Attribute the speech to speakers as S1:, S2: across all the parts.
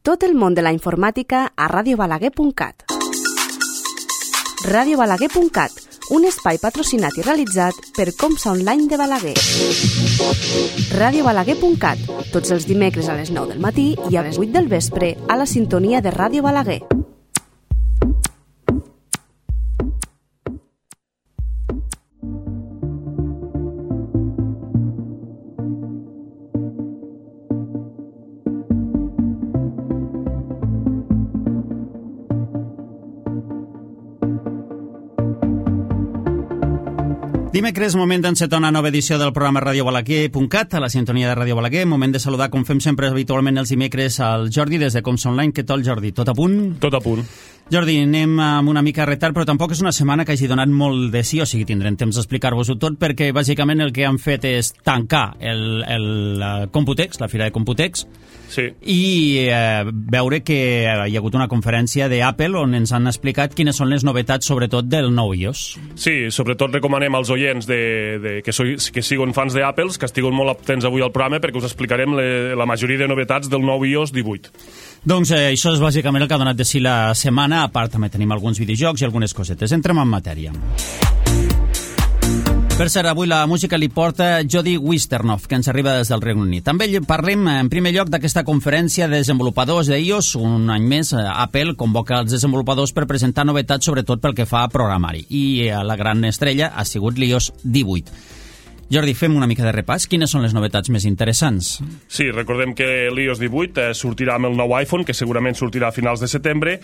S1: Tot el món de la informàtica a radiobalaguer.cat. radiobalaguer.cat, un espai patrocinat i realitzat per Comsa Online de Balaguer. radiobalaguer.cat, tots els dimecres a les 9 del matí i a les 8 del vespre a la sintonia de Ràdio Balaguer.
S2: Dimecres, moment d'encetar una nova edició del programa radiobalaguer.cat, a la sintonia de Ràdio Balaguer. Moment de saludar, com fem sempre habitualment els dimecres, al Jordi des de Comsa Online. Què tal, Jordi? Tot a punt?
S3: Tot a punt.
S2: Jordi, anem amb una mica de retard, però tampoc és una setmana que hagi donat molt de sí, o sigui, tindrem temps d'explicar-vos-ho tot, perquè bàsicament el que han fet és tancar el Computex, la fira de Computex,
S3: sí,
S2: i veure que hi ha hagut una conferència d'Apple on ens han explicat quines són les novetats, sobretot del nou iOS.
S3: Sí, sobretot recomanem als oients que siguin fans d'Apple que estiguin molt atents avui al programa perquè us explicarem la majoria de novetats del nou iOS 18.
S2: Doncs això és bàsicament el que ha donat de si la setmana. A part també tenim alguns videojocs i algunes cosetes. Entrem en matèria. Per cert, avui la música li porta Jody Wisternoff, que ens arriba des del Regne Unit. També parlem, en primer lloc, d'aquesta conferència de desenvolupadors d'iOS. Un any més, Apple convoca els desenvolupadors per presentar novetats, sobretot pel que fa a programari. I la gran estrella ha sigut l'iOS 18. Jordi, fem una mica de repàs. Quines són les novetats més interessants?
S3: Sí, recordem que l'iOS 18 sortirà amb el nou iPhone, que segurament sortirà a finals de setembre,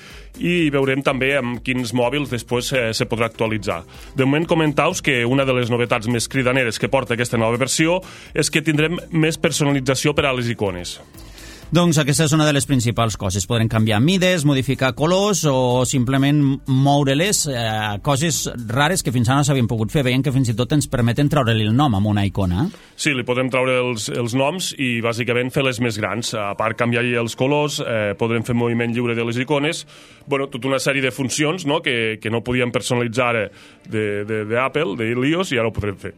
S3: i veurem també amb quins mòbils després se podrà actualitzar. De moment, comentaus que una de les novetats més cridaneres que porta aquesta nova versió és que tindrem més personalització per a les icones.
S2: Doncs aquesta és una de les principals coses. Podrem canviar mides, modificar colors o simplement moure-les, coses rares que fins ara no s'havien pogut fer. Veiem que fins i tot ens permeten treure-li el nom amb una icona.
S3: Sí, li podem treure els noms i bàsicament fer-les més grans. A part canviar-hi els colors, podrem fer moviment lliure de les icones. Bueno, tota una sèrie de funcions, no?, que no podíem personalitzar d'Apple, de l'iOS, i ara ho podrem fer.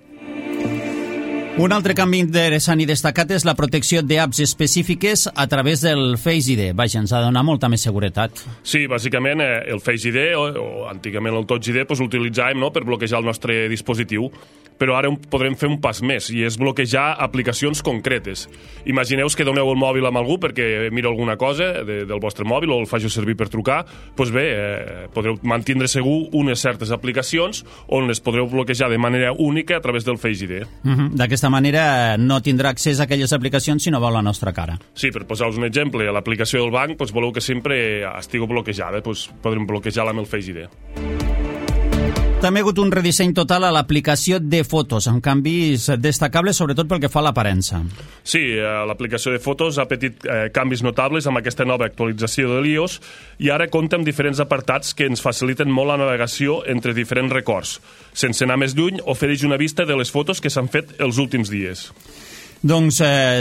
S2: Un altre canvi interessant i destacat és la protecció d'apps específiques a través del Face ID. Vaja, ens ha de donar molta més seguretat.
S3: Sí, bàsicament el Face ID, o antigament el Touch ID, l'utilitzàvem, no?, per bloquejar el nostre dispositiu, però ara podrem fer un pas més, i és bloquejar aplicacions concretes. Imagineu que doneu el mòbil amb algú perquè mira alguna cosa del vostre mòbil o el faci servir per trucar, doncs bé, podreu mantindre segur unes certes aplicacions on les podreu bloquejar de manera única a través del Face ID.
S2: D'aquesta manera no tindrà accés a aquelles aplicacions si no veu la nostra cara.
S3: Sí, per posar-vos un exemple, a l'aplicació del banc voleu que sempre estigui bloquejada, podrem bloquejar-la amb el Face ID.
S2: També ha hagut un redisseny total a l'aplicació de fotos, amb canvis destacables, sobretot pel que fa a l'aparença.
S3: Sí, l'aplicació de fotos ha patit canvis notables amb aquesta nova actualització de l'iOS i ara compta amb diferents apartats que ens faciliten molt la navegació entre diferents records. Sense anar més lluny, ofereix una vista de les fotos que s'han fet els últims dies.
S2: Doncs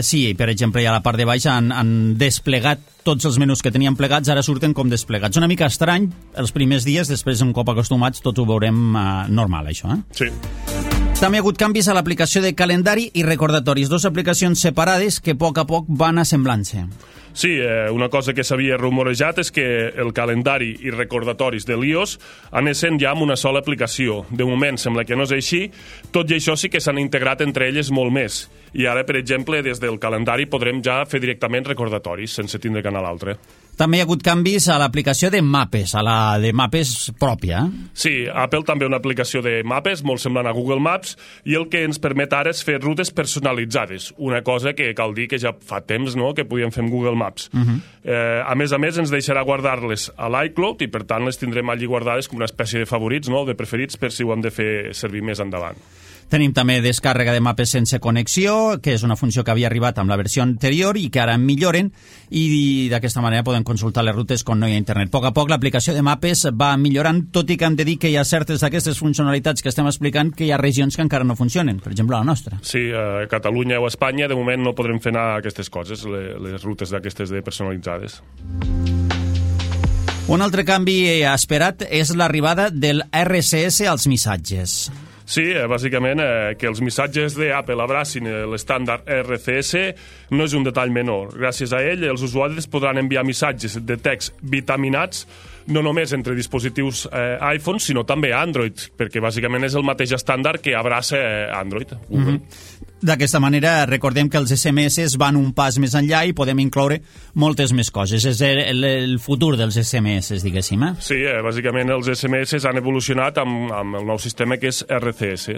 S2: sí, per exemple, a la part de baix han desplegat tots els menús que tenien plegats, ara surten com desplegats. Una mica estrany els primers dies, després un cop acostumats tots ho veurem normal, això.
S3: Sí.
S2: També ha hagut canvis a l'aplicació de calendari i recordatoris, dues aplicacions separades que a poc van assemblant-se.
S3: Sí, una cosa que s'havia rumorejat és que el calendari i recordatoris de l'iOS anessin ja amb una sola aplicació. De moment sembla que no és així, tot i això sí que s'han integrat entre elles molt més. I ara, per exemple, des del calendari podrem ja fer directament recordatoris sense tindre que anar a l'altre.
S2: També hi ha hagut canvis a l'aplicació de mapes, a la de mapes pròpia.
S3: Sí, Apple també una aplicació de mapes, molt semblant a Google Maps, i el que ens permet ara és fer rutes personalitzades, una cosa que cal dir que ja fa temps, no?, que podíem fer amb Google Maps. A més, ens deixarà guardar-les a l'iCloud i, per tant, les tindrem allí guardades com una espècie de favorits, no?, de preferits, per si ho hem de fer servir més endavant.
S2: Tenim també descàrrega de mapes sense connexió, que és una funció que havia arribat amb la versió anterior i que ara milloren, i d'aquesta manera podem consultar les rutes quan no hi ha internet. A poc l'aplicació de mapes va millorant, tot i que hem de dir que hi ha certes d'aquestes funcionalitats que estem explicant que hi ha regions que encara no funcionen, per exemple la nostra.
S3: Sí, a Catalunya o a Espanya de moment no podrem fer anar aquestes coses, les rutes d'aquestes de personalitzades.
S2: Un altre canvi esperat és l'arribada del RCS als missatges.
S3: Sí, bàsicament que els missatges d'Apple abracin l'estàndard RCS no és un detall menor. Gràcies a ell, els usuaris podran enviar missatges de text vitaminats no només entre dispositius iPhone, sinó també Android, perquè bàsicament és el mateix estàndard que abraça Android.
S2: D'aquesta manera, recordem que els SMS van un pas més enllà i podem incloure moltes més coses. És el futur dels SMS, diguéssim.
S3: Sí, bàsicament els SMS han evolucionat amb el nou sistema que és RCS.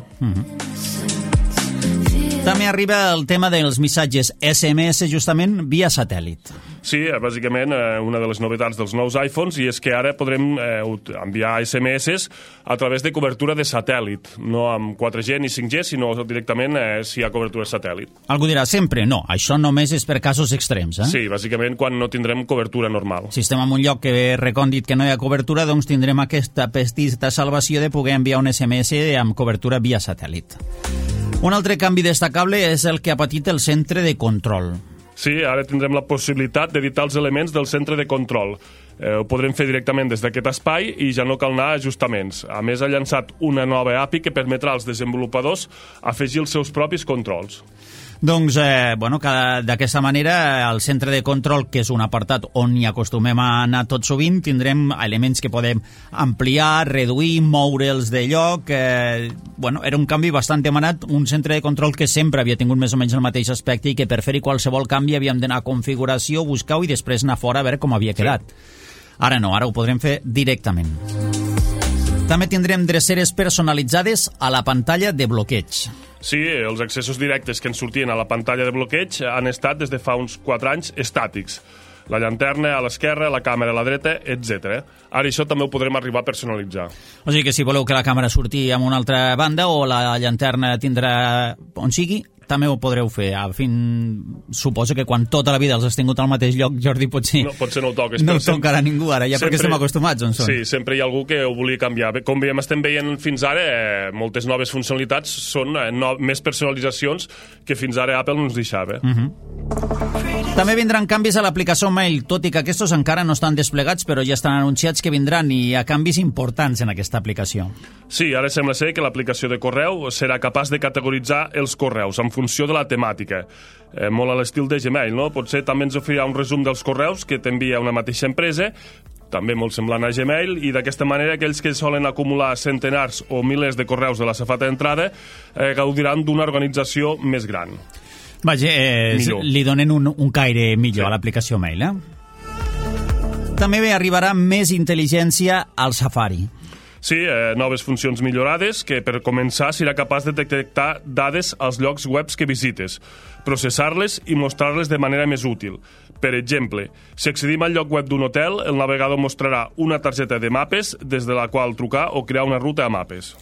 S2: També arriba el tema dels missatges SMS justament via satèl·lit.
S3: Sí, bàsicament una de les novetats dels nous iPhones i és que ara podrem enviar SMS a través de cobertura de satèl·lit, no amb 4G ni 5G, sinó directament si hi ha cobertura satèl·lit.
S2: Algú dirà sempre, no, això només és per casos extrems,
S3: Sí, bàsicament quan no tindrem cobertura normal.
S2: Si estem en un lloc que recòndit que no hi ha cobertura, doncs tindrem aquesta petita salvació de poder enviar un SMS amb cobertura via satèl·lit. Un altre canvi destacable és el que ha patit el centre de control.
S3: Sí, ara tindrem la possibilitat d'editar els elements del centre de control. Ho podrem fer directament des d'aquest espai i ja no cal anar a ajustaments. A més, ha llançat una nova API que permetrà als desenvolupadors afegir els seus propis controls.
S2: Doncs, d'aquesta manera, el centre de control, que és un apartat on hi acostumem a anar tot sovint, tindrem elements que podem ampliar, reduir, moure'ls de lloc. Era un canvi bastant demanat, un centre de control que sempre havia tingut més o menys el mateix aspecte i que per fer-hi qualsevol canvi havíem d'anar a configuració, buscar-ho i després anar fora a veure com havia quedat. Ara no, ara ho podrem fer directament. També tindrem dreceres personalitzades a la pantalla de bloqueig.
S3: Sí, els accessos directes que ens sortien a la pantalla de bloqueig han estat des de fa uns 4 anys estàtics. La llanterna a l'esquerra, la càmera a la dreta, etc. Ara això també ho podrem arribar a personalitzar.
S2: O sigui que si voleu que la càmera surti a una altra banda o la llanterna tindrà on sigui, també ho podreu fer. Suposo que quan tota la vida els has tingut al mateix lloc, Jordi, potser no ho toques. No ho tocarà ningú ara, ja perquè estem acostumats on són.
S3: Sí, sempre hi ha algú que ho volia canviar. Com estem veient fins ara, moltes noves funcionalitats són més personalitzacions que fins ara Apple no ens deixava.
S2: També vindran canvis a l'aplicació Mail, tot i que aquests encara no estan desplegats, però ja estan anunciats que vindran i hi ha canvis importants en aquesta aplicació.
S3: Sí, ara sembla ser que l'aplicació de correu serà capaç de categoritzar els correus en funció de la temàtica. Molt a l'estil de Gmail, no? Potser també ens oferirà un resum dels correus que t'envia una mateixa empresa, també molt semblant a Gmail, i d'aquesta manera aquells que solen acumular centenars o milers de correus de la safata d'entrada gaudiran d'una organització més gran.
S2: Vaja, li donen un caire millor a l'aplicació Mail, També arribarà més intel·ligència al Safari.
S3: Sí, noves funcions millorades que per començar serà capaç de detectar dades als llocs webs que visites, processar-les i mostrar-les de manera més útil. Per exemple, si accedim al lloc web d'un hotel, el navegador mostrarà una targeta de mapes des de la qual trucar o crear una ruta a mapes.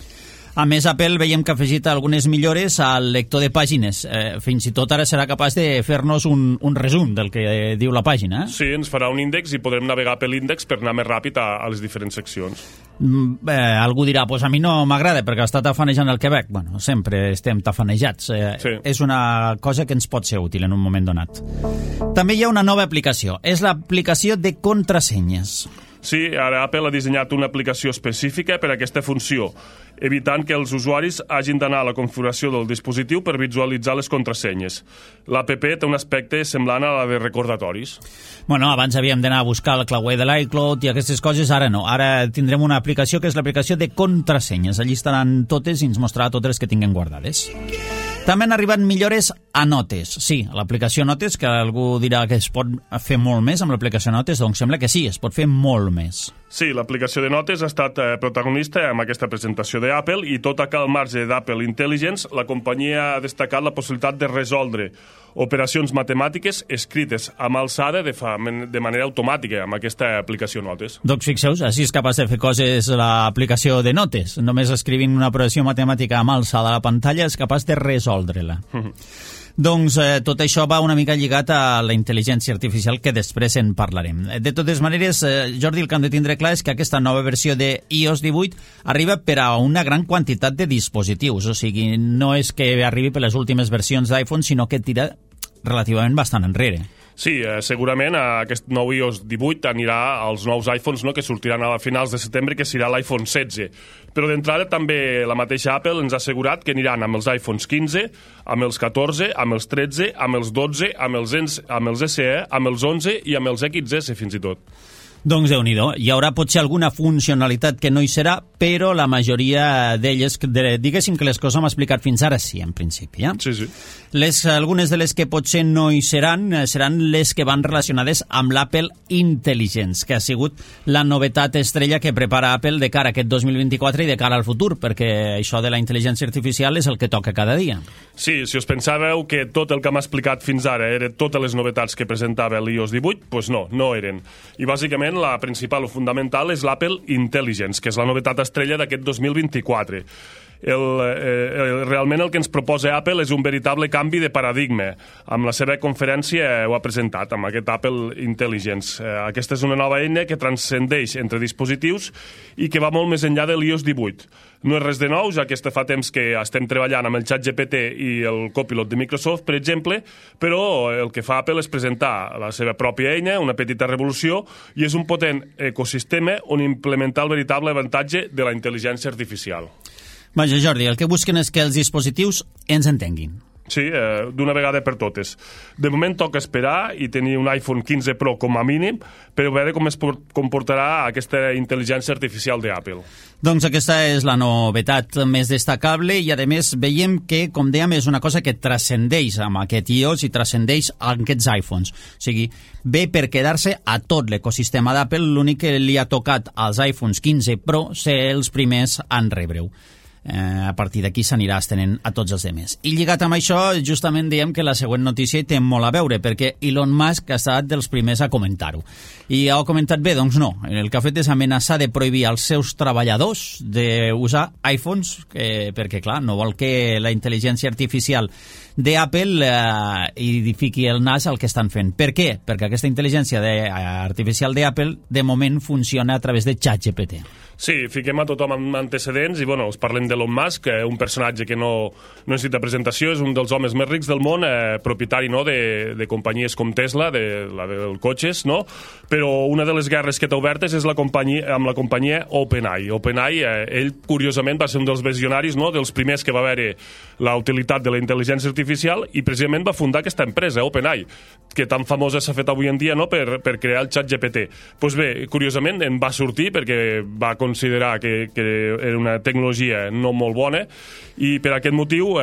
S2: A més, Apple veiem que ha afegit algunes millores al lector de pàgines. Fins i tot ara serà capaç de fer-nos un resum del que diu la pàgina.
S3: Sí, ens farà un índex i podrem navegar per l'índex per anar més ràpid a les diferents seccions.
S2: Algú dirà, a mi no m'agrada perquè està tafanejant el Quebec. Bueno, sempre estem tafanejats. Sí. És una cosa que ens pot ser útil en un moment donat. També hi ha una nova aplicació. És l'aplicació de contrasenyes.
S3: Sí, ara Apple ha dissenyat una aplicació específica per a aquesta funció, evitant que els usuaris hagin d'anar a la configuració del dispositiu per visualitzar les contrasenyes. L'app té un aspecte semblant a la de recordatoris.
S2: Bueno, abans havíem d'anar a buscar el clauer de l'iCloud i aquestes coses, ara no. Ara tindrem una aplicació que és l'aplicació de contrasenyes. Allí estaran totes i ens mostrarà totes les que tinguem guardades. També han arribat millores a Notes. Sí, a l'aplicació Notes, que algú dirà que es pot fer molt més amb l'aplicació Notes, doncs sembla que sí, es pot fer molt més.
S3: Sí, l'aplicació de Notes ha estat protagonista amb aquesta presentació d'Apple i tot al marge d'Apple Intelligence, la companyia ha destacat la possibilitat de resoldre operacions matemàtiques escrites amb alçada de manera automàtica amb aquesta aplicació Notes.
S2: Doncs fixeu-vos, així és capaç de fer coses l'aplicació de Notes. Només escrivint una operació matemàtica amb alçada a la pantalla és capaç de resoldre-la. Doncs tot això va una mica lligat a la intel·ligència artificial, que després en parlarem. De totes maneres, Jordi, el que hem de tindre clar és que aquesta nova versió de iOS 18 arriba per a una gran quantitat de dispositius. O sigui, no és que arribi per les últimes versions d'iPhone, sinó que tira relativament bastant enrere.
S3: Sí, segurament aquest nou iOS 18 anirà als nous iPhones, no?, que sortiran a finals de setembre, que serà l'iPhone 16. Però d'entrada també la mateixa Apple ens ha assegurat que aniran amb els iPhones 15, amb els 14, amb els 13, amb els 12, amb els SE, amb els 11 i amb els XS fins i tot.
S2: Doncs Déu-n'hi-do, hi haurà potser alguna funcionalitat que no hi serà, però la majoria d'elles, diguéssim que les coses hem explicat fins ara sí, en principi.
S3: Sí.
S2: Algunes de les que potser no hi seran les que van relacionades amb l'Apple Intelligence, que ha sigut la novetat estrella que prepara Apple de cara a aquest 2024 i de cara al futur, perquè això de la intel·ligència artificial és el que toca cada dia.
S3: Sí, si us pensàveu que tot el que hem explicat fins ara eren totes les novetats que presentava l'iOS 18, doncs no eren. I bàsicament la principal o fundamental és l'Apple Intelligence, que és la novetat estrella d'aquest 2024. Realment el que ens proposa Apple és un veritable canvi de paradigma. Amb la seva conferència ho ha presentat, amb aquest Apple Intelligence. Aquesta és una nova eina que transcendeix entre dispositius i que va molt més enllà de l'iOS 18. No és res de nou, ja que fa temps que estem treballant amb el ChatGPT i el Copilot de Microsoft, per exemple, però el que fa Apple és presentar la seva pròpia eina, una petita revolució, i és un potent ecosistema on implementar el veritable avantatge de la intel·ligència artificial.
S2: Vaja, Jordi, el que busquen és que els dispositius ens entenguin.
S3: Sí, d'una vegada per totes. De moment toca esperar i tenir un iPhone 15 Pro com a mínim per veure com es comportarà aquesta intel·ligència artificial d'Apple.
S2: Doncs aquesta és la novetat més destacable i, a més, veiem que, com dèiem, és una cosa que transcendeix amb aquest iOS i transcendeix aquests iPhones. O sigui, ve per quedar-se a tot l'ecosistema d'Apple, l'únic que li ha tocat als iPhones 15 Pro ser els primers en rebre-ho. A partir d'aquí s'anirà estenent a tots els demés. I lligat amb això, justament diem que la següent notícia hi té molt a veure, perquè Elon Musk ha estat dels primers a comentar-ho. I ha comentat bé? Doncs no. El que ha fet és amenaçar de prohibir als seus treballadors d'usar iPhones, perquè, clar, no vol que la intel·ligència artificial d'Apple hi fiqui el nas al que estan fent. Per què? Perquè aquesta intel·ligència artificial d'Apple de moment funciona a través de ChatGPT.
S3: Sí, fiquem a tothom amb antecedents i, bueno, us parlem d'Elon Musk, un personatge que no necessita presentació, és un dels homes més rics del món, propietari, no?, de companyies com Tesla, dels cotxes, no? Però una de les guerres que té obertes és amb la companyia OpenAI. OpenAI, ell, curiosament, va ser un dels visionaris, no?, dels primers que va veure la utilitat de la intel·ligència artificial i precisament va fundar aquesta empresa, OpenAI, que tan famosa s'ha fet avui en dia, no?, per crear el ChatGPT. Doncs bé, curiosament, en va sortir perquè va considerar que era una tecnologia no molt bona i per aquest motiu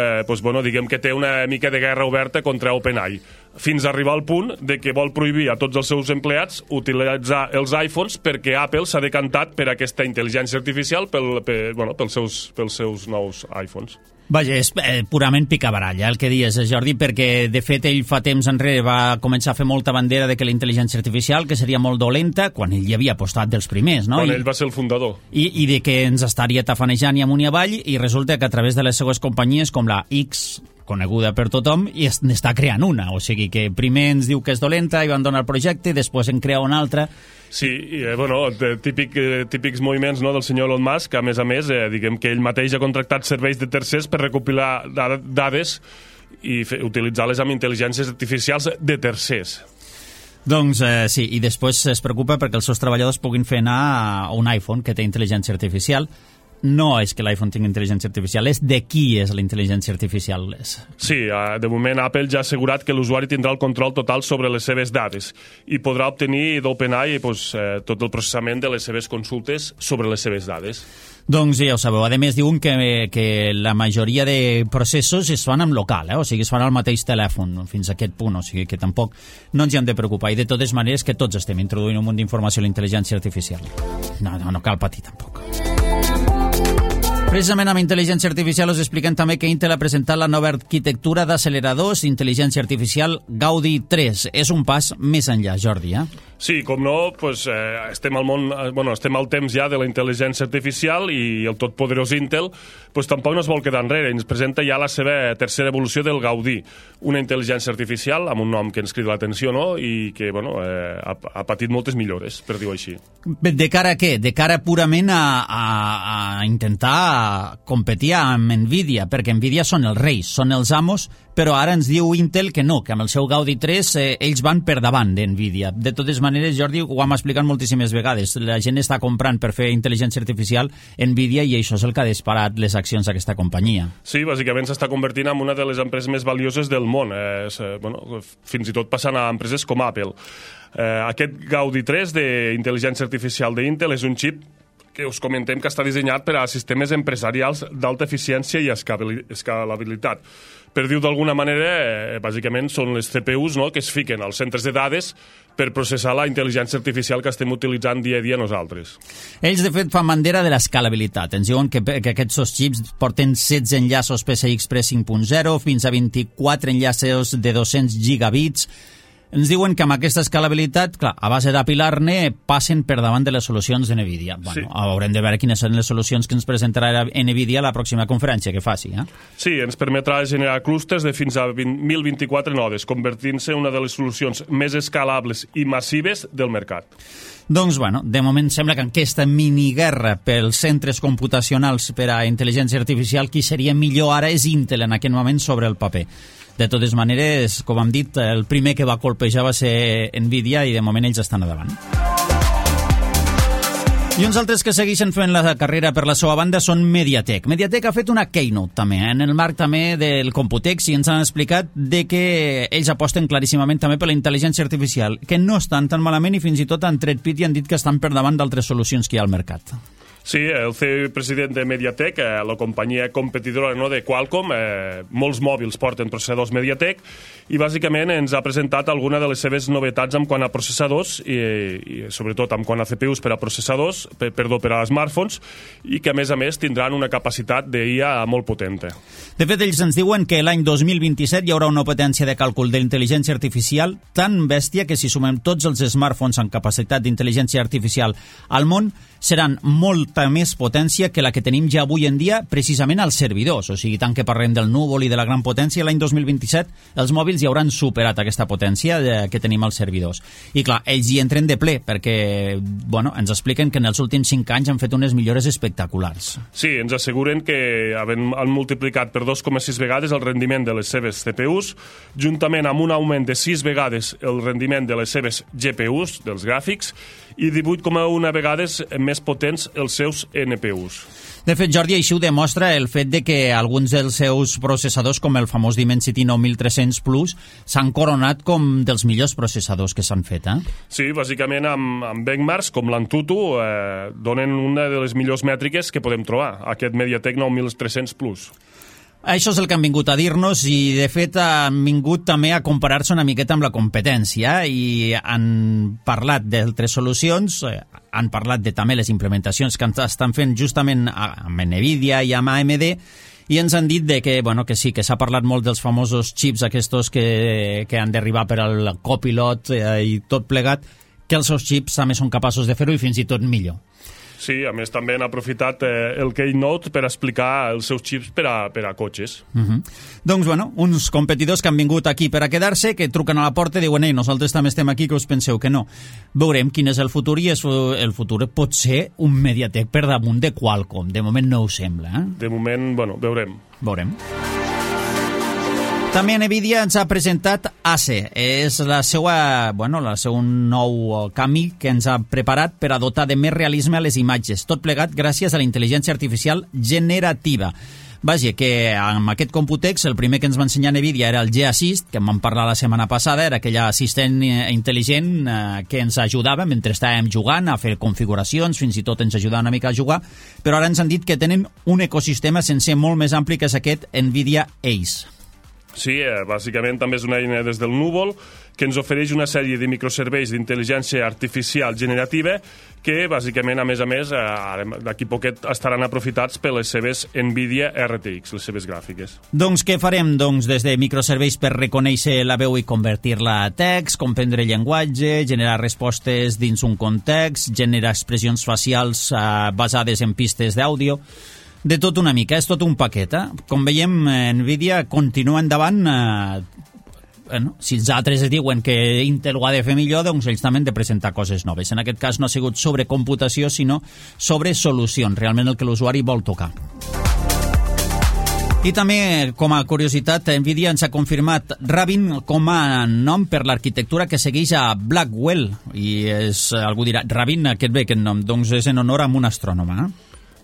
S3: diguem que té una mica de guerra oberta contra OpenAI, fins a arribar al punt de que vol prohibir a tots els seus empleats utilitzar els iPhones perquè Apple s'ha decantat per aquesta intel·ligència artificial pels seus nous iPhones.
S2: Vaja, és purament picabaralla el que dius, Jordi, perquè de fet ell fa temps enrere va començar a fer molta bandera de que la intel·ligència artificial que seria molt dolenta, quan ell hi havia apostat dels primers, no?
S3: Quan ell va ser el fundador.
S2: I de que ens estaria tafanejant i amunt i avall, i resulta que a través de les seues companyies com la X, coneguda per tothom, i n'està creant una. O sigui que primer ens diu que és dolenta i van donar el projecte, després en crea una altra.
S3: Sí, típics moviments, no?, del senyor Elon Musk, a més, diguem que ell mateix ha contractat serveis de tercers per recopilar dades i utilitzar-les amb intel·ligències artificials de tercers.
S2: Doncs sí, i després es preocupa perquè els seus treballadors puguin fer anar a un iPhone que té intel·ligència artificial. No és que l'iPhone tingui intel·ligència artificial, és de qui és la intel·ligència artificial.
S3: Sí, de moment Apple ja ha assegurat que l'usuari tindrà el control total sobre les seves dades i podrà obtenir d'OpenAI tot el processament de les seves consultes sobre les seves dades.
S2: Doncs ja ho sabeu. A més, diuen que la majoria de processos es fan amb local, o sigui, es fan al mateix telèfon, fins a aquest punt, o sigui que tampoc no ens hi hem de preocupar. I de totes maneres que tots estem introduint un munt d'informació a la intel·ligència artificial. No cal patir tampoc. Precisament amb intel·ligència artificial us expliquem també que Intel ha presentat la nova arquitectura d'acceleradors d'intel·ligència artificial Gaudi 3. És un pas més enllà, Jordi,
S3: Sí, com no, estem al temps ja de la intel·ligència artificial i el totpoderós Intel tampoc no es vol quedar enrere. Ens presenta ja la seva tercera evolució del Gaudi, una intel·ligència artificial amb un nom que ens crida l'atenció, no?, i que ha patit moltes millores, per dir-ho així.
S2: De cara a què? De cara purament a intentar competia amb Nvidia, perquè Nvidia són els reis, són els amos, però ara ens diu Intel que no, que amb el seu Gaudi 3 ells van per davant d'Nvidia. De totes maneres, Jordi, ho hem explicat moltíssimes vegades. La gent està comprant per fer intel·ligència artificial Nvidia i això és el que ha disparat les accions d'aquesta companyia.
S3: Sí, bàsicament s'està convertint en una de les empreses més valioses del món, fins i tot passant a empreses com Apple. Aquest Gaudi 3 d'intel·ligència artificial d'Intel és un xip que us comentem que està dissenyat per a sistemes empresarials d'alta eficiència i escalabilitat. Per dir-ho d'alguna manera, bàsicament són les CPUs, no?, que es fiquen als centres de dades per processar la intel·ligència artificial que estem utilitzant dia a dia nosaltres.
S2: Ells, de fet, fan bandera de l'escalabilitat. Ens diuen que aquests xips porten 16 enllaços PCI Express 5.0 fins a 24 enllaços de 200 gigabits. Ens diuen que amb aquesta escalabilitat, clar, a base d'apilar-ne, passen per davant de les solucions de NVIDIA. Bueno, sí. Haurem de veure quines són les solucions que ens presentarà NVIDIA a la pròxima conferència que faci.
S3: Sí, ens permetrà generar clústers de fins a 1.024 nodes, convertint-se en una de les solucions més escalables i massives del mercat.
S2: Doncs, bueno, de moment sembla que aquesta miniguerra pels centres computacionals per a intel·ligència artificial, qui seria millor ara és Intel en aquest moment sobre el paper. De totes maneres, com hem dit, el primer que va colpejar va ser Nvidia i de moment ells estan a davant. I uns altres que segueixen fent la carrera per la seva banda són Mediatek. Mediatek ha fet una keynote també, en el marc també del Computex, i ens han explicat de que ells aposten claríssimament també per la intel·ligència artificial, que no estan tan malament i fins i tot han tret pit i han dit que estan per davant d'altres solucions que hi ha al mercat.
S3: Sí, el CEO president de Mediatek, la companyia competidora de Qualcomm, molts mòbils porten processadors Mediatek, i bàsicament ens ha presentat alguna de les seves novetats en quant a processadors i sobretot en quant a CPUs per a processadors, per a smartphones, i que a més tindran una capacitat d'IA molt potent.
S2: De fet, ells ens diuen que l'any 2027 hi haurà una potència de càlcul d'intel·ligència artificial tan bèstia que si sumem tots els smartphones amb capacitat d'intel·ligència artificial al món, seran molta més potència que la que tenim ja avui en dia precisament als servidors. O sigui, tant que parlem del núvol i de la gran potència, l'any 2027 els mòbils ja hauran superat aquesta potència que tenim als servidors. I clar, ells hi entren de ple perquè, bueno, ens expliquen que en els últims 5 anys han fet unes millores espectaculars.
S3: Sí, ens asseguren que han multiplicat per 2,6 vegades el rendiment de les seves CPUs, juntament amb un augment de 6 vegades el rendiment de les seves GPUs, dels gràfics, i 18,1 vegades més potents els seus NPUs.
S2: De fet, Jordi, així ho demostra el fet de que alguns dels seus processadors, com el famós Dimensity 9300 Plus, s'han coronat com dels millors processadors que s'han fet,
S3: Sí, bàsicament amb benchmarks com l'Antutu donen una de les millors mètriques que podem trobar, aquest Mediatek 9300 Plus.
S2: Això és el que han vingut a dir-nos i, de fet, han vingut també a comparar-se una miqueta amb la competència i han parlat d'altres solucions, han parlat de també les implementacions que estan fent justament amb NVIDIA i amb AMD i ens han dit de que, bueno, que sí, que s'ha parlat molt dels famosos xips aquests que han d'arribar per al Copilot i tot plegat, que els seus xips també són capaços de fer-ho i fins i tot millor.
S3: Sí, a més també han aprofitat el Keynote per explicar els seus xips per a cotxes.
S2: Doncs, bueno, uns competidors que han vingut aquí per a quedar-se, que truquen a la porta i diuen nosaltres també estem aquí, que us penseu que no. Veurem quin és el futur i el futur pot ser un Mediatek per damunt de Qualcomm. De moment no ho sembla.
S3: De moment, bueno, veurem.
S2: També NVIDIA ens ha presentat ACE. És el seu nou camí que ens ha preparat per a dotar de més realisme a les imatges. Tot plegat gràcies a la intel·ligència artificial generativa. Vaja, que amb aquest Computex el primer que ens va ensenyar NVIDIA era el G-Assist, que en vam parlar la setmana passada, era aquell assistent intel·ligent que ens ajudava mentre estàvem jugant a fer configuracions, fins i tot ens ajudava una mica a jugar, però ara ens han dit que tenen un ecosistema sencer molt més ampli que és aquest NVIDIA ACE.
S3: Sí, bàsicament també és una eina des del núvol que ens ofereix una sèrie de microserveis d'intel·ligència artificial generativa que, bàsicament, a més, d'aquí poquet estaran aprofitats per les seves NVIDIA RTX, les seves gràfiques.
S2: Doncs què farem? Doncs des de microserveis per reconèixer la veu i convertir-la a text, comprendre llenguatge, generar respostes dins un context, generar expressions facials basades en pistes d'àudio. De tot una mica, és tot un paquet. Com veiem, NVIDIA continua endavant. Si els altres diuen que Intel ho ha de fer millor, doncs ells també han de presentar coses noves. En aquest cas no ha sigut sobre computació, sinó sobre solucions, realment el que l'usuari vol tocar. I també, com a curiositat, Nvidia ens ha confirmat Rabin com a nom per l'arquitectura que segueix a Blackwell. I algú dirà, Rabin, aquest bé, aquest nom? Doncs és en honor a un astrònom,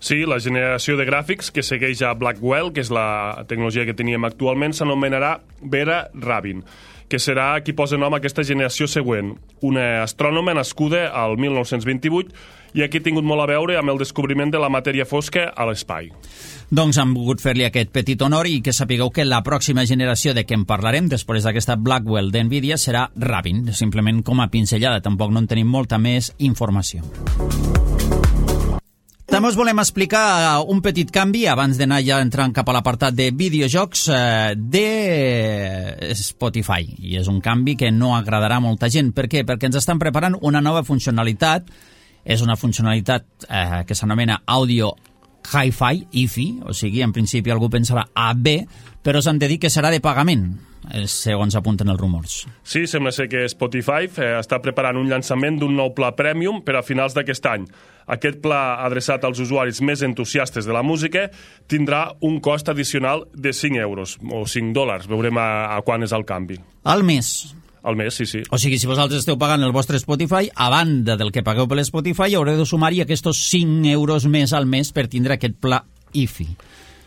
S3: Sí, la generació de gràfics que segueix a Blackwell, que és la tecnologia que teníem actualment, s'anomenarà Vera Rabin, que serà qui posa nom a aquesta generació següent, una astrònoma nascuda al 1928 i aquí ha tingut molt a veure amb el descobriment de la matèria fosca a l'espai.
S2: Doncs hem volgut fer-li aquest petit honor i que sapigueu que la pròxima generació de què en parlarem després d'aquesta Blackwell d'Nvidia serà Rabin, simplement com a pinzellada, tampoc no en tenim molta més informació. També us volem explicar un petit canvi, abans d'anar ja entrant cap a l'apartat de videojocs de Spotify. I és un canvi que no agradarà a molta gent. Per què? Perquè ens estan preparant una nova funcionalitat. És una funcionalitat que s'anomena Audio Hi-Fi, IFI, o sigui, en principi algú pensarà AB, però s'han de dir que serà de pagament, segons apunten els rumors.
S3: Sí, sembla ser que Spotify està preparant un llançament d'un nou pla premium per a finals d'aquest any. Aquest pla, adreçat als usuaris més entusiastes de la música, tindrà un cost addicional de 5 euros, o $5. Veurem a quan és el canvi.
S2: Al mes.
S3: Al mes, sí.
S2: O sigui, si vosaltres esteu pagant el vostre Spotify, a banda del que pagueu per l'Spotify, haureu de sumar-hi aquests 5 euros més al mes per tindre aquest pla IFI.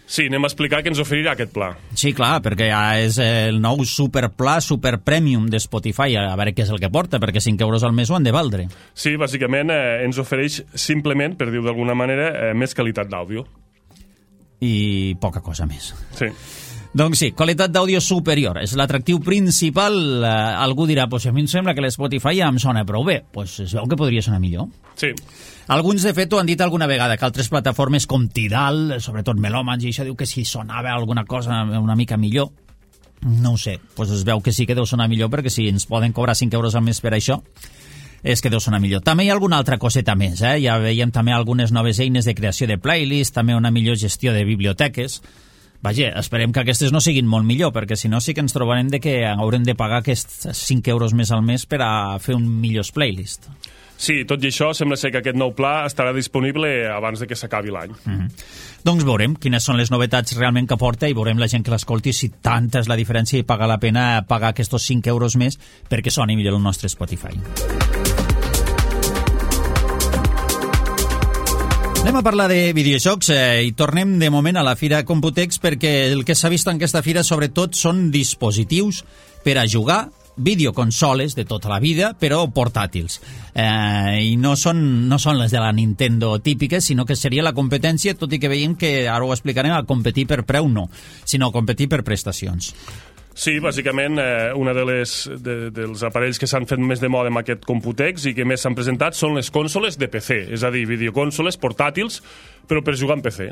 S3: Sí, anem a explicar què ens oferirà aquest pla.
S2: Sí, clar, perquè és el nou superpla, super premium de Spotify, a veure què és el que porta, perquè 5 euros al mes ho han de valdre.
S3: Sí, bàsicament ens ofereix simplement, per dir-ho d'alguna manera, més qualitat d'àudio.
S2: I poca cosa més.
S3: Sí.
S2: Doncs sí, qualitat d'àudio superior. És l'atractiu principal. Algú dirà, pues a mi em sembla que l'Spotify ja em sona prou bé. Pues es veu que podria sonar millor.
S3: Sí.
S2: Alguns, de fet, ho han dit alguna vegada, que altres plataformes com Tidal, sobretot Melòmans, i això diu que si sonava alguna cosa una mica millor. No ho sé, pues es veu que sí que deu sonar millor, perquè si ens poden cobrar 5 euros al mes per això, és que deu sonar millor. També hi ha alguna altra coseta més, ja veiem també algunes noves eines de creació de playlist, també una millor gestió de biblioteques. Vaja, esperem que aquestes no siguin molt millor, perquè si no sí que ens trobarem de que haurem de pagar aquests 5 euros més al mes per a fer un millor playlist.
S3: Sí, tot i això, sembla ser que aquest nou pla estarà disponible abans de que s'acabi l'any.
S2: Doncs veurem quines són les novetats realment que porta i veurem la gent que l'escolti si tanta és la diferència i paga la pena pagar aquests 5 euros més perquè soni millor el nostre Spotify. Anem a parlar de videojocs i tornem de moment a la Fira Computex perquè el que s'ha vist en aquesta fira sobretot són dispositius per a jugar, videoconsoles de tota la vida, però portàtils. I no són les de la Nintendo típiques, sinó que seria la competència, tot i que veiem que, ara ho explicarem, a competir per preu no, sinó a competir per prestacions.
S3: Sí, bàsicament, un dels aparells que s'han fet més de moda amb aquest Computex i que més s'han presentat són les consoles de PC, és a dir, videoconsoles portàtils, però per jugar en PC.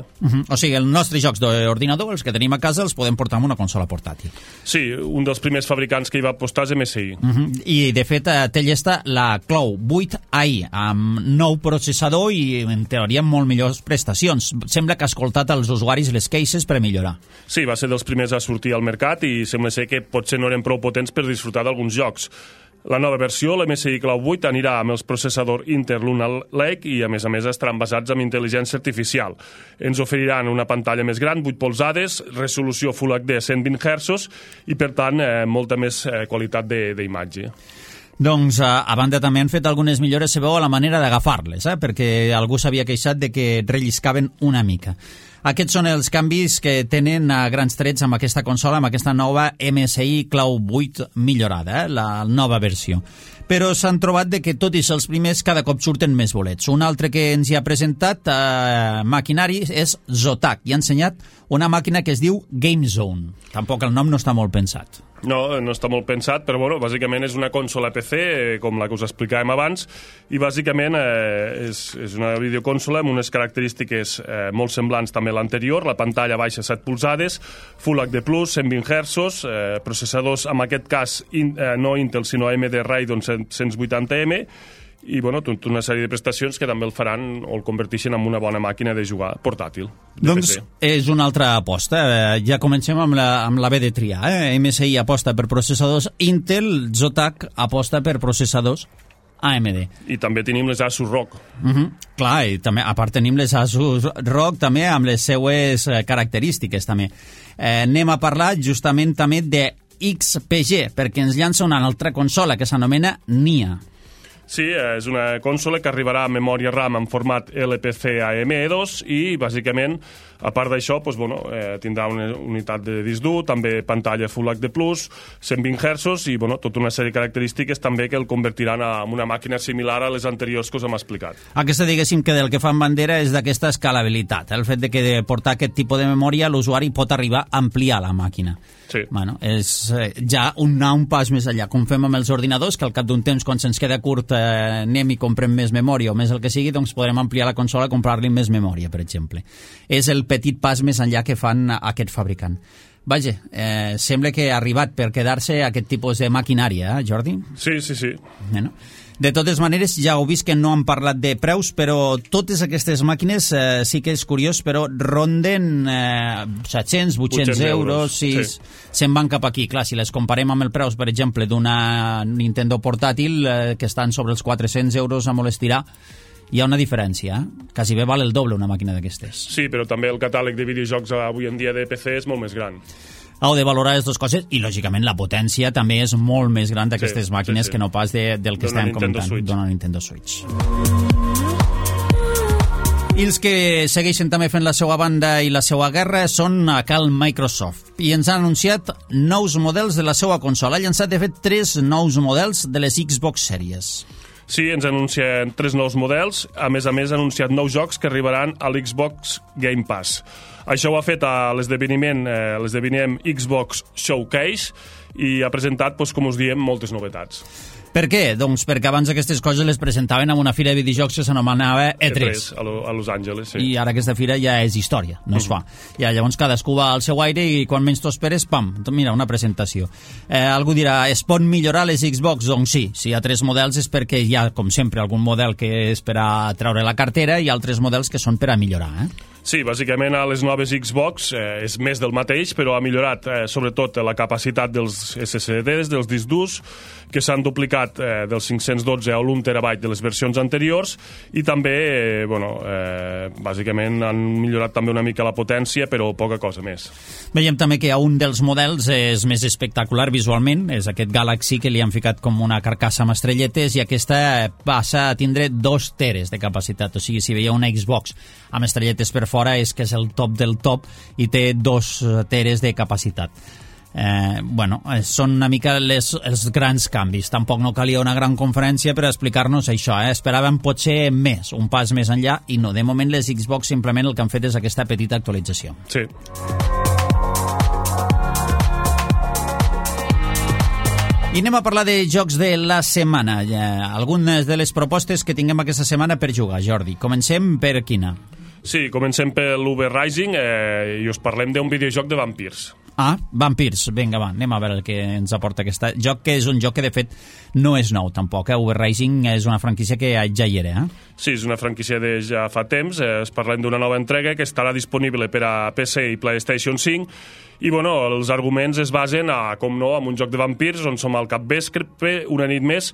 S2: O sigui, els nostres jocs d'ordinador, els que tenim a casa, els podem portar amb una consola portàtil.
S3: Sí, un dels primers fabricants que hi va apostar és MSI.
S2: I, de fet, té llesta la Cloud 8i, amb nou processador i, en teoria, molt millors prestacions. Sembla que ha escoltat als usuaris les queixes per millorar.
S3: Sí, va ser dels primers a sortir al mercat i sembla ser que potser no eren prou potents per disfrutar d'alguns jocs. La nova versió, l'MSI Cloud 8, anirà amb els processadors Intel Lunar Lake i, a més, estaran basats en intel·ligència artificial. Ens oferiran una pantalla més gran, 8 polzades, resolució Full HD 120 Hz i, per tant, molta més qualitat d'imatge.
S2: Doncs, a banda, també han fet algunes millores, se veu, a la manera d'agafar-les, perquè algú s'havia queixat de que relliscaven una mica. Aquests són els canvis que tenen a grans trets amb aquesta consola, amb aquesta nova MSI Cloud 8 millorada, la nova versió. Però s'han trobat de que, tot i ser els primers, cada cop surten més bolets. Un altre que ens hi ha presentat maquinari és Zotac, i ha ensenyat una màquina que es diu Game Zone. Tampoc el nom no està molt pensat.
S3: No està molt pensat, però bueno, bàsicament és una consola PC, com la que us explicàvem abans, i bàsicament és una videoconsola amb unes característiques molt semblants també a l'anterior, la pantalla baixa 7 polzades, Full HD+, 120 Hz, processadors, en aquest cas, no Intel, sinó AMD Radeon 180M, i bueno, tota una sèrie de prestacions que també el faran o el converteixen en una bona màquina de jugar portàtil.
S2: Doncs és una altra aposta. Ja comencem amb la B de triar. MSI aposta per processadors Intel, Zotac aposta per processadors AMD.
S3: I també tenim les Asus ROG.
S2: Clar, i també, a part tenim les Asus ROG també amb les seues característiques també. Anem a parlar justament també de XPG, perquè ens llança una altra consola que s'anomena Nia.
S3: Sí, és una consola que arribarà a memòria RAM en format LPC AM2 i, bàsicament, a part d'això, tindrà una unitat de disc dur, també pantalla Full HD+, 120 Hz i tota una sèrie de característiques també que el convertiran en una màquina similar a les anteriors que us hem explicat.
S2: Aquesta, diguéssim, que del que fan bandera és d'aquesta escalabilitat, el fet de que de portar aquest tipus de memòria l'usuari pot arribar a ampliar la màquina.
S3: Sí.
S2: Bueno, és ja un pas més enllà, com fem amb els ordinadors, que al cap d'un temps, quan se'ns queda curt, anem i comprem més memòria o més el que sigui, doncs podrem ampliar la consola i comprar-li més memòria, per exemple. És el petit pas més enllà que fan aquest fabricant. Vaja, sembla que ha arribat per quedar-se aquest tipus de maquinària, Jordi?
S3: Sí.
S2: Bueno. De totes maneres, ja heu vist que no han parlat de preus, però totes aquestes màquines, sí que és curiós, però ronden 700, 800 euros, si se'n van cap aquí. Clar, si les comparem amb el preus, per exemple, d'una Nintendo portàtil, que estan sobre els 400 euros a molt estirar, hi ha una diferència, quasi bé val el doble una màquina d'aquestes.
S3: Sí, però també el catàleg de videojocs avui en dia de PC és molt més gran.
S2: Heu de valorar les dues coses i, lògicament, la potència també és molt més gran d'aquestes màquines que no pas del que estem comentant, d'una Nintendo Switch. I els que segueixen també fent la seva banda i la seva guerra són a cal Microsoft. I ens ha anunciat nous models de la seva consola. Ha llançat, de fet, 3 nous models de les Xbox Series.
S3: Sí, ens anuncien 3 nous models. A més, ha anunciat nous jocs que arribaran a l'Xbox Game Pass. Això ho ha fet a l'esdeveniment Xbox Showcase i ha presentat, com us diem, moltes novetats.
S2: Per què? Doncs perquè abans aquestes coses les presentaven en una fira de videojocs que s'anomenava E3.
S3: A Los Angeles, sí.
S2: I ara aquesta fira ja és història, no es fa. Ja, llavors cadascú va al seu aire i quan menys t'ho esperes, pam, mira, una presentació. Algú dirà, es pot millorar les Xbox? Doncs sí, si hi ha 3 models és perquè hi ha, com sempre, algun model que és per a treure la cartera i altres models que són per a millorar,
S3: Sí, bàsicament a les noves Xbox és més del mateix, però ha millorat sobretot la capacitat dels SSDs, dels discs durs, que s'han duplicat dels 512 a l'1 terabyte de les versions anteriors i també, bàsicament han millorat també una mica la potència, però poca cosa més.
S2: Veiem també que un dels models és més espectacular visualment, és aquest Galaxy que li han ficat com una carcassa amb estrelletes i aquesta passa a tindre 2 teres de capacitat, o sigui, si veieu una Xbox amb estrelletes per fora és que és el top del top i té 2 teres de capacitat. Són una mica els grans canvis. Tampoc no calia una gran conferència per explicar-nos això. Esperàvem potser més, un pas més enllà, i no. De moment les Xbox simplement el que han fet és aquesta petita actualització.
S3: Sí.
S2: I anem a parlar de jocs de la setmana. Algunes de les propostes que tinguem aquesta setmana per jugar, Jordi. Comencem per quina?
S3: Sí, comencem per l'Uber Rising i us parlem d'un videojoc de vampirs.
S2: Vampirs. Vinga, va, anem a veure el que ens aporta aquest joc, que és un joc que, de fet, no és nou, tampoc. Uber Rising és una franquícia que ja hi era,
S3: Sí, és una franquícia de ja fa temps. Parlem d'una nova entrega que estarà disponible per a PC i PlayStation 5 i, els arguments es basen en un joc de vampirs on som al capvespre, una nit més,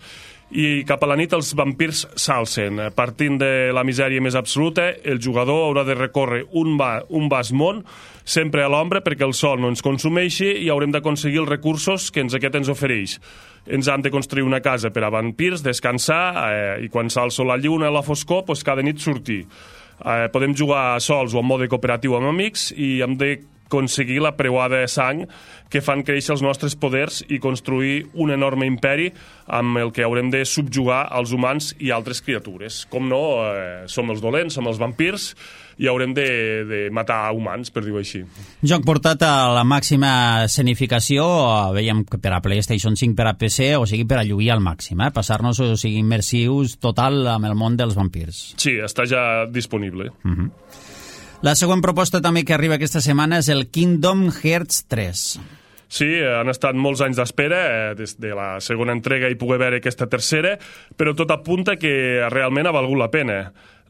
S3: i cap a la nit els vampirs s'alcen. Partint de la misèria més absoluta, el jugador haurà de recórrer un vast món, sempre a l'ombra perquè el sol no ens consumeixi i haurem d'aconseguir els recursos que aquest ens ofereix. Ens han de construir una casa per a vampirs, descansar i quan s'alça la lluna a la foscor, cada nit sortir. Podem jugar sols o en mode cooperatiu amb amics i hem d'aconseguir la preuada de sang que fan créixer els nostres poders i construir un enorme imperi amb el que haurem de subjugar els humans i altres criatures. Com no, som els dolents, som els vampirs i haurem de matar humans, per dir-ho així.
S2: Joc portat a la màxima escenificació, veiem que per a PlayStation 5, per a PC, o sigui, per a lluir al màxim, passar-nos, o sigui, immersius total amb el món dels vampirs.
S3: Sí, està ja disponible.
S2: La següent proposta també que arriba aquesta setmana és el Kingdom Hearts 3.
S3: Sí, han estat molts anys d'espera, des de la segona entrega i poder veure aquesta tercera, però tot apunta que realment ha valgut la pena.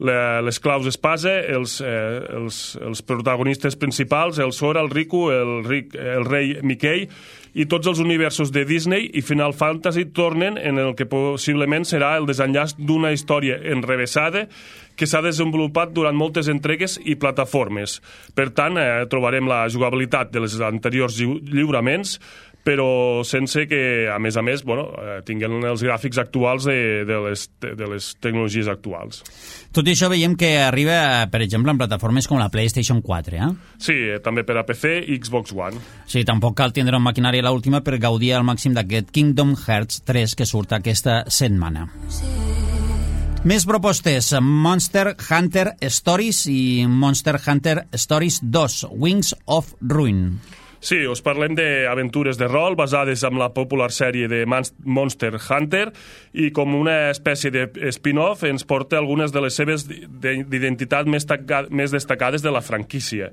S3: Les claus espasa, els protagonistes principals, el Sora, el Riku, el rei Mickey i tots els universos de Disney i Final Fantasy tornen en el que possiblement serà el desenllaç d'una història enrevessada que s'ha desenvolupat durant moltes entregues i plataformes. Per tant, trobarem la jugabilitat de les anteriors lliuraments, però sense que, a més, tinguin els gràfics actuals de les tecnologies actuals.
S2: Tot i això veiem que arriba, per exemple, en plataformes com la PlayStation 4, eh?
S3: Sí, també per a PC i Xbox One.
S2: Sí, tampoc cal tindre una maquinària l'última per gaudir al màxim d'aquest Kingdom Hearts 3 que surt aquesta setmana. Més propostes, Monster Hunter Stories i Monster Hunter Stories 2, Wings of Ruin.
S3: Sí, us parlem d'aventures de rol basades en la popular sèrie de Monster Hunter i com una espècie de spin-off ens porta algunes de les seves d'identitat més destacades de la franquícia.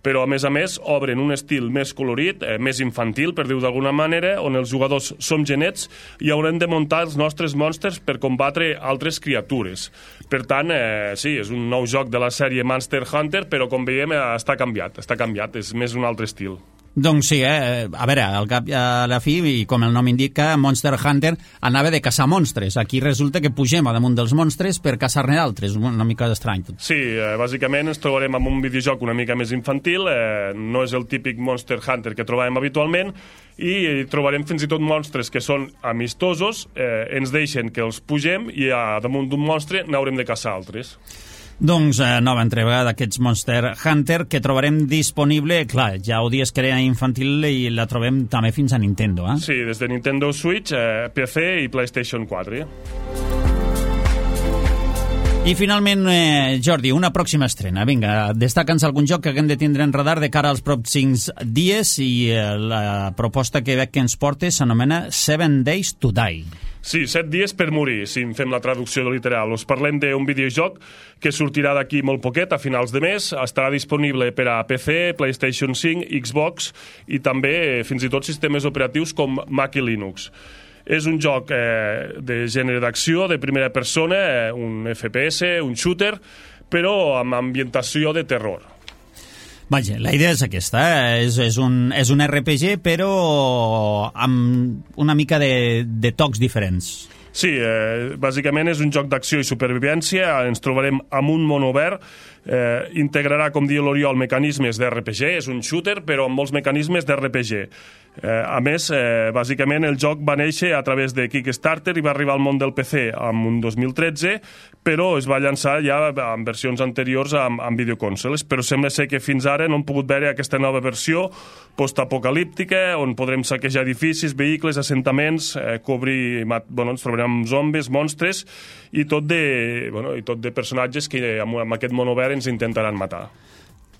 S3: Però, a més, obren un estil més colorit, més infantil, per dir-ho d'alguna manera, on els jugadors som genets i haurem de muntar els nostres monstres per combatre altres criatures. Per tant, sí, és un nou joc de la sèrie Monster Hunter, però, com veiem, està canviat, és més un altre estil.
S2: Doncs sí, a veure, al cap i a la fi, i com el nom indica, Monster Hunter anava de caçar monstres. Aquí resulta que pugem a damunt dels monstres per caçar-ne d'altres, una mica estrany.
S3: Sí, bàsicament ens trobarem amb un videojoc una mica més infantil, no és el típic Monster Hunter que trobàvem habitualment, i trobarem fins i tot monstres que són amistosos, ens deixen que els pugem i a damunt d'un monstre n'haurem de caçar altres.
S2: Doncs nova entrega d'aquests Monster Hunter que trobarem disponible, clar, ja ho dies que era infantil i la trobem també fins a Nintendo, eh?
S3: Sí, des de Nintendo Switch, PC i PlayStation 4.
S2: I finalment, Jordi, una pròxima estrena. Vinga, destaca'ns algun joc que haguem de tindre en radar de cara als pròxims dies i la proposta que veig que ens porta s'anomena 7 Days to Die.
S3: Sí, 7 dies per morir, si en fem la traducció literal. Us parlem d'un videojoc que sortirà d'aquí molt poquet, a finals de mes. Estarà disponible per a PC, PlayStation 5, Xbox i també fins i tot sistemes operatius com Mac i Linux. És un joc de gènere d'acció, de primera persona, un FPS, un shooter, però amb ambientació de terror.
S2: Vaja, la idea és aquesta, és un RPG, però amb una mica de tocs diferents.
S3: Sí, bàsicament és un joc d'acció i supervivència, ens trobarem amb un món obert, integrarà, com diu l'Oriol, mecanismes d'RPG, és un shooter, però amb molts mecanismes d'RPG. A més, bàsicament el joc va néixer a través de Kickstarter i va arribar al món del PC en un 2013, però es va llançar ja en versions anteriors amb videoconsoles, però sembla ser que fins ara no hem pogut veure aquesta nova versió postapocalíptica, on podrem saquejar edificis, vehicles, assentaments, ens trobarem amb zombis, monstres, i tot de personatges que amb aquest món obert ens intentaran matar.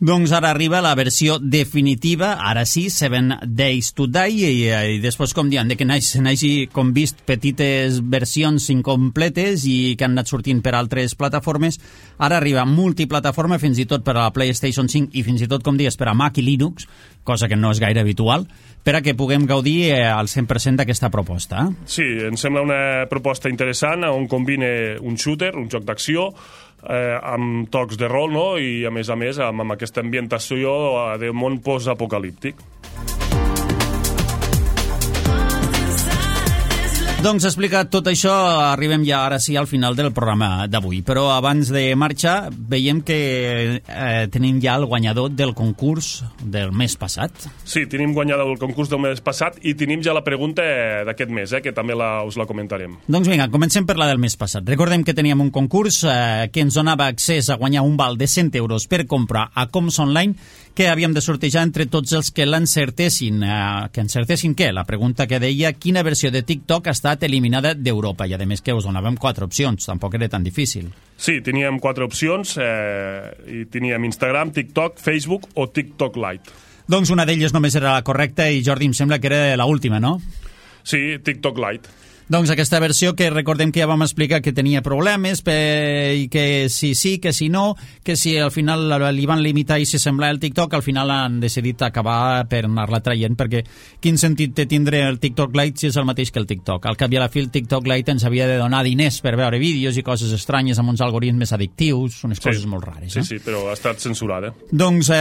S2: Doncs ara arriba la versió definitiva, ara sí, 7 Days to Die, i després, com diuen, que n'hagi com vist petites versions incompletes i que han anat sortint per altres plataformes, ara arriba multiplataforma, fins i tot per a la PlayStation 5 i fins i tot, com dius, per a Mac i Linux, cosa que no és gaire habitual, per a que puguem gaudir al 100% d'aquesta proposta.
S3: Sí, em sembla una proposta interessant on combina un shooter, un joc d'acció, amb tocs de rol, no? I a més amb aquesta ambientació de món post-apocalíptic.
S2: Doncs explicat tot això, arribem ja ara sí al final del programa d'avui, però abans de marxar veiem que tenim ja el guanyador del concurs del mes passat.
S3: Sí, tenim guanyador del concurs del mes passat i tenim ja la pregunta d'aquest mes, que també us la comentarem.
S2: Doncs vinga, comencem per la del mes passat. Recordem que teníem un concurs que ens donava accés a guanyar un val de 100 euros per comprar a Coms Online, que havíem de sortejar entre tots els que l'encertessin. Que encertessin què? La pregunta que deia quina versió de TikTok ha estat eliminada d'Europa, i a més que us donàvem 4 opcions, tampoc era tan difícil.
S3: Sí, teníem 4 opcions, i teníem Instagram, TikTok, Facebook o TikTok Lite.
S2: Doncs una d'elles només era la correcta i, Jordi, em sembla que era l'última, no?
S3: Sí, TikTok Lite.
S2: Doncs aquesta versió que recordem que ja vam explicar que tenia problemes i que si sí, que si no, que si al final li van limitar i si semblava el TikTok, al final han decidit acabar per anar-la traient, perquè quin sentit té tindre el TikTok Lite si és el mateix que el TikTok? Al cap i a la fi el TikTok Lite ens havia de donar diners per veure vídeos i coses estranyes amb uns algoritmes addictius, unes coses molt rares.
S3: Sí, però ha estat censurada.
S2: Doncs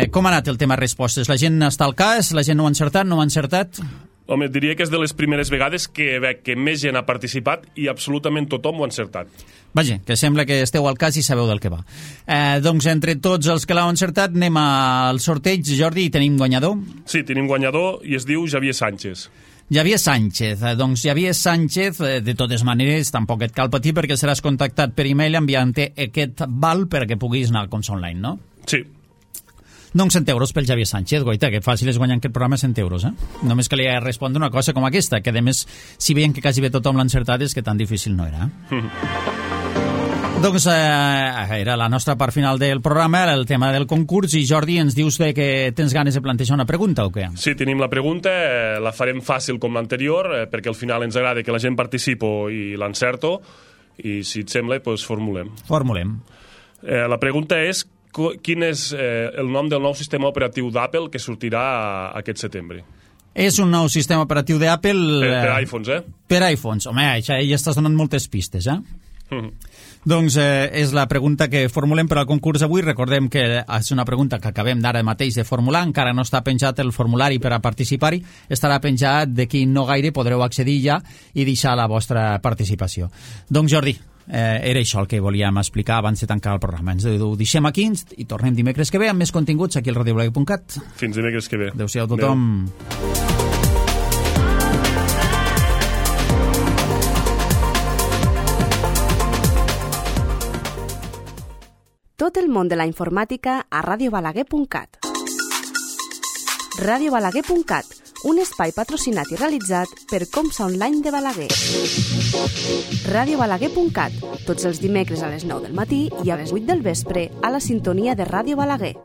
S2: com ha anat el tema respostes? La gent està al cas? La gent no ho ha encertat? No ho ha encertat?
S3: Home, diria que és de les primeres vegades que veig que més gent ha participat i absolutament tothom ho ha encertat.
S2: Vaja, que sembla que esteu al cas i sabeu del que va. Doncs entre tots els que l'heu encertat anem al sorteig. Jordi, tenim guanyador?
S3: Sí, tenim guanyador i es diu Javier Sánchez.
S2: Javier Sánchez. Doncs Javier Sánchez, de totes maneres, tampoc et cal patir perquè seràs contactat per e-mail enviant-te aquest val perquè puguis anar al Conso Online, no?
S3: Sí.
S2: Doncs 100 euros pel Javier Sánchez, goita, que fàcil és guanyar aquest programa 100 euros, Només que li ha de respondre una cosa com aquesta, que a més, si veiem que quasi bé tothom l'ha encertat, és que tan difícil no era. Doncs era la nostra part final del programa, el tema del concurs, i Jordi, ens dius que tens ganes de plantejar una pregunta o què?
S3: Sí, tenim la pregunta, la farem fàcil com l'anterior, perquè al final ens agrada que la gent participi i l'encerto, i si et sembla, doncs formulem.
S2: Formulem.
S3: La pregunta és: quin és el nom del nou sistema operatiu d'Apple que sortirà aquest setembre?
S2: És un nou sistema operatiu d'Apple...
S3: Per iPhones,
S2: Per iPhones. Home, ja estàs donant moltes pistes, Doncs és la pregunta que formulem per al concurs avui. Recordem que és una pregunta que acabem d'ara mateix de formular. Encara no està penjat el formulari per a participar-hi. Estarà penjat d'aquí no gaire, podreu accedir ja i deixar la vostra participació. Doncs Jordi, era això el que volíem explicar abans de tancar el programa. Ens ho deixem aquí i tornem dimecres que ve amb més continguts aquí al radiobalaguer.cat.
S3: Fins dimecres que ve.
S2: Adéu-siau a tothom.
S1: Tot el món de la informàtica a radiobalaguer.cat. radiobalaguer.cat, un espai patrocinat i realitzat per Comsa Online de Balaguer. radiobalaguer.cat, tots els dimecres a les 9 del matí i a les 8 del vespre a la sintonia de Ràdio Balaguer.